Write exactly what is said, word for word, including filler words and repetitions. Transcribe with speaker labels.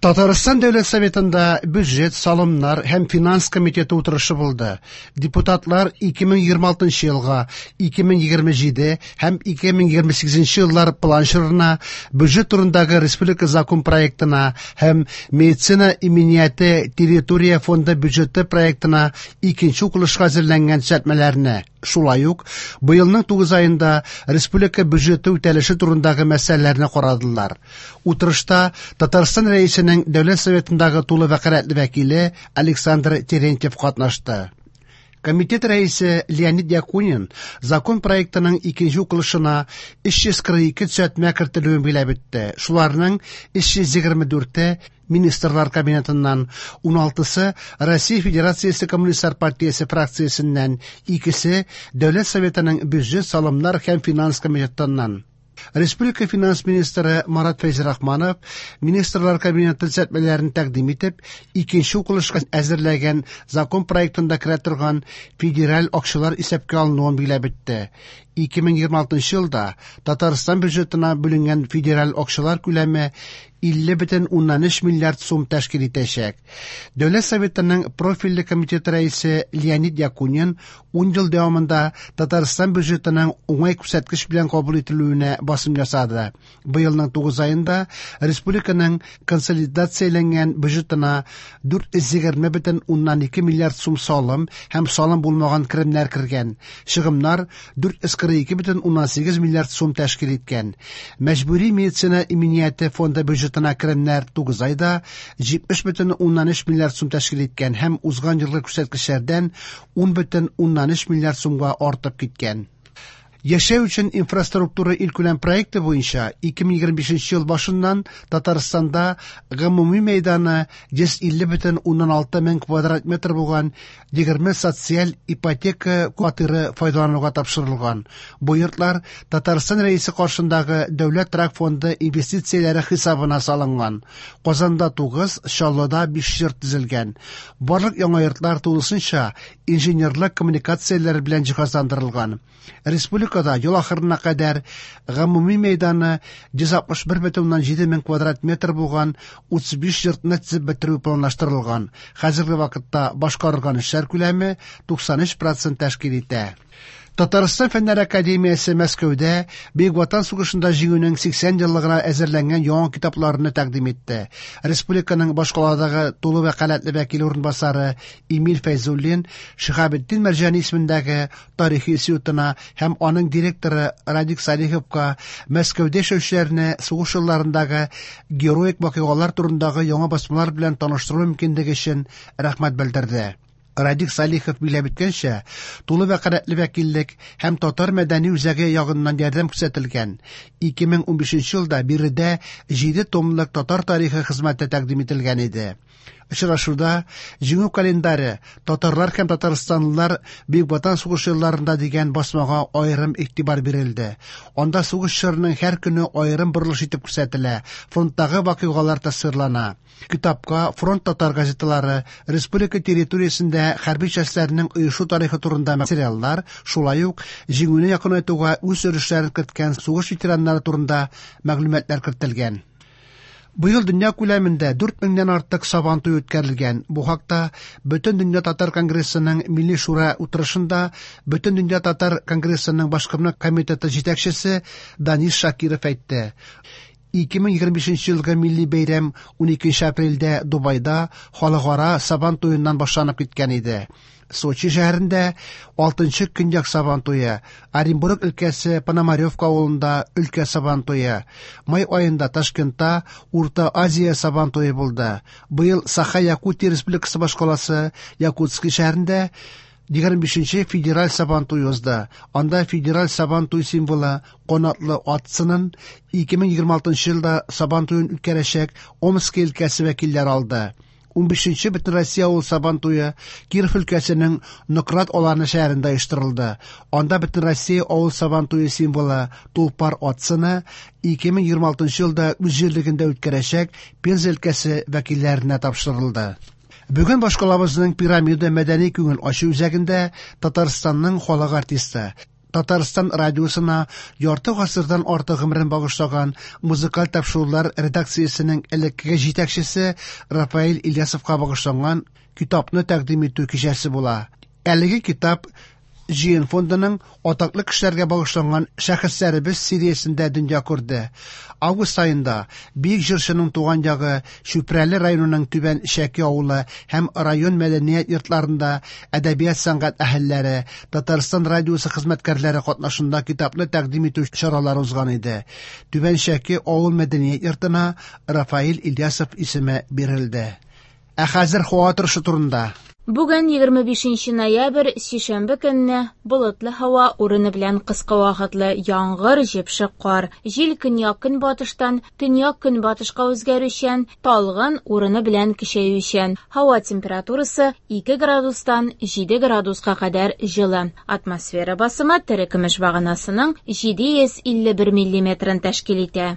Speaker 1: Татарстан Дәүләт Советында бюджет, салымнар һәм финанс комитеты утырышы булды. Депутатлар ике мең егерме алтынчы елга, ике мең егерме җиде һәм ике мең егерме сигезенче еллар план чорына бюджет турындагы республика закон проектына һәм медицина иминияте территория фонды бюджеты проектына икенче укылышка әзерләнгән төзәтмәләрне, шулай ук быелның тугыз аенда республика бюджеты үтәлеше турындагы мәсьәләләрне карадылар. Утырышта Татарстан Рәисенең Дәүләт Советындагы тулы вәкаләтле вәкиле Александр Терентьев катнашты. Комитет рәисе Леонид Якунин закон проектының икенче укылышына өч йөз кырык ике төзәтмә кертелүен билгеләп үтте. Шуларның өч йөз егерме дүрте Министрлар Кабинетыннан, ун алтысы Россия Федерациясе Коммунистлар партиясе фракциясеннән, икесе Дәүләт Советының бюджет, салымнар һәм финанс комитетыннан. Республика финанс министры Марат Фәйзрахманов Министрлар Кабинеты төзәтмәләрен тәкъдим итеп, икенче укылышка әзерләгән закон проектында керә торган федераль акчалар исәпкә алынуын билгеләп үтте. Ике мең егерме алтынчы елда Татарстан бюджетына бүленгән федераль акчалар күләме илле бөтен уннан өч миллиард сум тәшкил итәчәк. Дәүләт Советының профильле комитеты рәисе Леонид Якунин ун ел дәвамында Татарстан бюджетының уңай күрсәткеч белән кабул ителүенә басым ясады. Быелның тугыз аенда республиканың консолидацияләнгән бюджетына дүрт йөз егерме бөтен уннан ике миллиард сум салым һәм салым булмаган керемнәр кергән. Чыгымнар дүрт йөз кырык ике бөтен уннан сигез миллиард сум тәшкил иткән. Мәҗбүри медицина иминияте фонды бюджетына керемнәр тугыз айда җитмеш бөтен уннан өч миллиард сум тәшкил иткән һәм узган елгы күрсәткечләрдән ун бөтен уннан өч миллиард сумга артып киткән. Яшәү өчен инфраструктура илкүләм проекты буенча ике мең егерме бишенче ел башыннан Татарстанда гомуми мәйданы йөз илле бөтен уннан алты мең квадрат метр булган егерме социаль ипотека квартиры файдалануга тапшырылган. Бу йортлар Татарстан Рәисе каршындагы Дәүләт торак фонды инвестицияләре хисабына салынган. Казанда тугыз, Чаллыда биш йорт төзелгән. Барлык яңа йортлар тулысынча инженерлык коммуникацияләре белән җиһазландырылган. Республика ел ахырына кадәр гомуми мәйданы йөз алтмыш бер бөтен уннан җиде мең квадрат метр булган утыз биш йортны төзеп бетерү планлаштырылган. Хәзерге вакытта башкарылган эшләр күләме туксан өч процент тәшкил итә. Татарстан Фәннәр Академиясе Мәскәүдә Бөек Ватан сугышында җиңүнең сиксән еллыгына әзерләнгән яңа китапларны тәкъдим итте. Республиканың башкаладагы тулы вәкаләтле вәкиле урынбасары Эмиль Фәйзуллин Шиһабетдин Мәрҗани исемендәге тарихи институтына һәм аның директоры Радик Салиховка Мәскәүдә яшәүчеләрне сугыш елларындагы героик вакыйгалар турындагы яңа басмалар белән таныштыру мөмкинлеге өчен рәхмәт белдерде. Радик Салихов билгеләп үткәнчә, тулы вәкаләтле вәкиллек һәм татар мәдәни үзәге ягыннан ярдәм күрсәтелгән. Ике мең унбишенче елда биредә җиде томлык татар тарихы хезмәте тәкъдим ителгән иде. Очрашуда Җиңү календаре татарлар һәм татарстанлылар Бөек Ватан сугышы елларында дигән басмага аерым игътибар бирелде. Анда сугыш чорының һәр көне аерым борылыш итеп күрсәтелә, фронттагы вакыйгалар тасвирлана. Китапка фронт татар газеталары, республика территориясендә хәрби частьләрнең оешу тарихы турында материаллар, шулай ук җиңүне якынайтуга үз өлешләрен керткән сугыш ветераннары турында мәгълүматлар кертелгән. Быел дөнья күләмендә дүрт меңнән артык Сабан туе үткәрелгән. Бу хакта Бөтен дөнья татар конгрессының Милли шура утырышында Бөтен дөнья татар конгрессының башкарма комитеты җитәкчесе Данис Шакиров әйтте. Ике мең егерме бишенче елгы милли бәйрәм уникенче апрельдә Дубайда халыкара Сабан туеннан башланып киткән иде. Сочи шәһәрендә алтынчы көньяк Сабан туе, Оренбург өлкәсе Пономаревка авылында өлкә Сабан туе, май аенда Ташкентта Урта Азия Сабан туе булды. Быел Саха-Якутия Республикасы башкаласы Якутский шәһәрендә егерме бишенче федераль Сабан туе узды. Анда федераль Сабан туй символы канатлы ат сынын ике мең егерме алтынчы елда Сабан туен үткәрәчәк Омск өлкәсе вәкилләре алды. Унбишенче Бөтенроссия авыл Сабан туе Киров өлкәсенең Нократ Аланы шәһәрендә оештырылды. Анда Бөтенроссия авыл Сабан туе символы Тулпар ат сыны ике мең егерме алтынчы елда үз җирлегендә үткәрәчәк Пенза өлкәсе вәкилләренә тапшырылды. Бүген башкалабызның Пирамида мәдәни күңел ачу үзәгендә Татарстанның халык артисты, Татарстан радиосына ярты гасырдан артык гомерен багышлаган музыкаль тапшырулар редакциясенең элеккеге җитәкчесе Рафаэль Ильясовка багышланган китапны тәкъдим итү кичәсе була. Әлеге китап Җыен фондының атаклы кешеләргә багышланган шәхесләребез сериясендә дөнья күрде. Август аенда бөек җырчының туган ягы Чүпрәле районының Түбән Чәке авылы һәм район мәдәният йортларында әдәбият сәнгать әһелләре, Татарстан радиосы хезмәткәрләре катнашында китапны тәкъдим итү чаралары узган иде. Түбән Чәке авыл мәдәният йортына Рафаэль Ильясов исеме бирелде. Ә хәзер һава торышы турында.
Speaker 2: Бүген егерме бишенче ноябрь, сишәмбе көнне болытлы һава, урыны белән кыска вакытлы яңгыр, җепшек кар. Җил көньяк-көнбатыштан төньяк-көнбатышка үзгәрүчән, талгын, урыны белән көчәючән. Һава температурасы ике градустан җиде градуска кадәр җылы. Атмосфера басымы терекөмеш баганасының җиде йөз илле бер миллиметрын тәшкил итә.